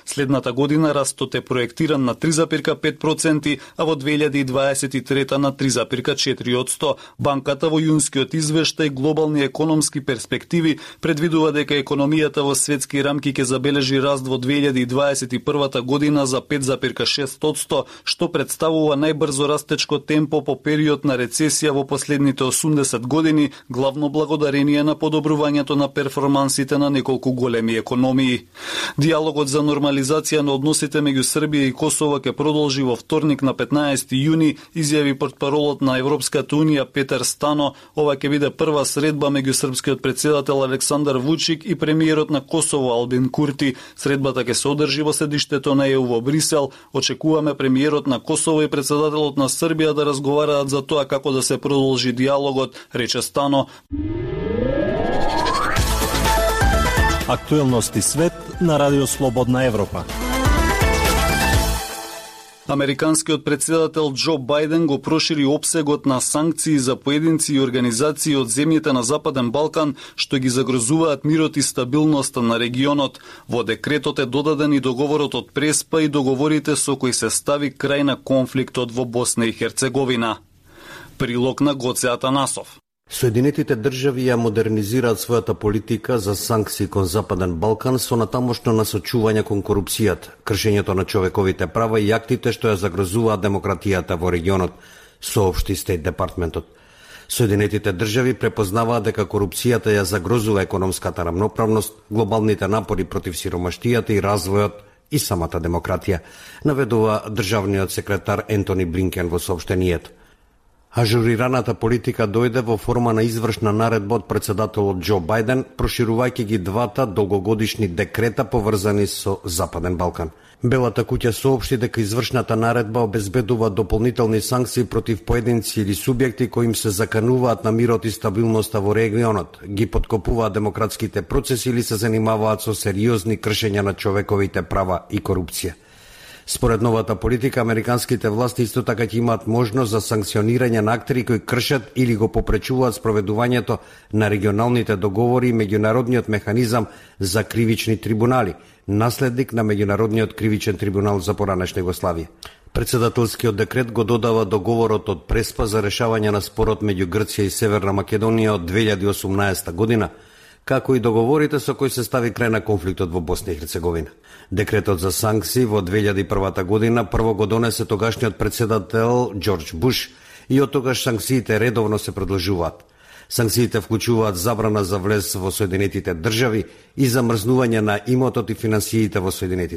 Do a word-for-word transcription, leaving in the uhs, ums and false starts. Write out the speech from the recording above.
Следната година растот е проектиран на три зарез пет проценти, а во две илјади и дваесет и трета на три зарез четири проценти. Банката во јунскиот извештај Глобални економски перспективи предвидува дека економијата во светски рамки ќе забележи раст во две илјади и дваесет и првата година за пет зарез шест проценти, што представува најбрзо растечко темпо по период на рецесија во последните осумдесет години, главно благодарение на подобрувањето на перформансите на неколку големи економии. Диалогот за нормализација на односите меѓу Србија и Косово ќе продолжи во вторник на петнаесети јуни, изјави портпаролот на Европската унија Петар Стано. Ова ќе биде прва средба меѓу српскиот председател Александар Вучик и премиерот на Косово Албин Курти. Средбата ќе се одржи во седиштето на Е У во Брисел. Очекуваме премиерот на Косово и председателот на Србија да разговараат за тоа како да се продолжи диалогот, рече Стано. Актуелности свет на Радио Слободна Европа. Американскиот председател Џо Бајден го прошири опсегот на санкции за поединци и организации од земјите на Западен Балкан што ги загрозуваат мирот и стабилноста на регионот. Во декретот е додаден и договорот од Преспа и договорите со кои се стави крај на конфликтот во Босна и Херцеговина. Прилог на Гоце Атанасов. Соединетите држави ја модернизираат својата политика за санкции кон Западен Балкан со натамошно насочување кон корупцијата, кршењето на човековите права и актите што ја загрозуваат демократијата во регионот, соопшти Стейт Департментот. Соединетите држави препознаваат дека корупцијата ја загрозува економската рамноправност, глобалните напори против сиромаштијата и развојот и самата демократија, наведува државниот секретар Ентони Блинкен во соопштението. Ажурираната политика дојде во форма на извршна наредба од председателот Џо Бајден, проширувајќи ги двата долгогодишни декрета поврзани со Западен Балкан. Белата куќа соопшти дека извршната наредба обезбедува дополнителни санкции против поединци или субјекти кои им се закануваат на мирот и стабилноста во регионот, ги подкопуваат демократските процеси или се занимаваат со сериозни кршења на човековите права и корупција. Според новата политика, американските власти исто така ќе имаат можност за санкционирање на актери кои кршат или го попречуваат спроведувањето на регионалните договори и меѓународниот механизам за кривични трибунали, наследник на меѓународниот кривичен трибунал за поранешна Југославија. Председателскиот декрет го додава договорот од Преспа за решавање на спорот меѓу Грција и Северна Македонија од две илјади и осумнаесета година, како и договорите со кои се стави крај на конфликтот во Босна и Херцеговина. Декретот за санкции во две илјади и првата година прво го донесе тогашниот председател Џорџ Буш и од тогаш санкциите редовно се продолжуваат. Санкциите вклучуваат забрана за влез во Соединетите држави и замрзнување на имотот и финансиите во Соединетите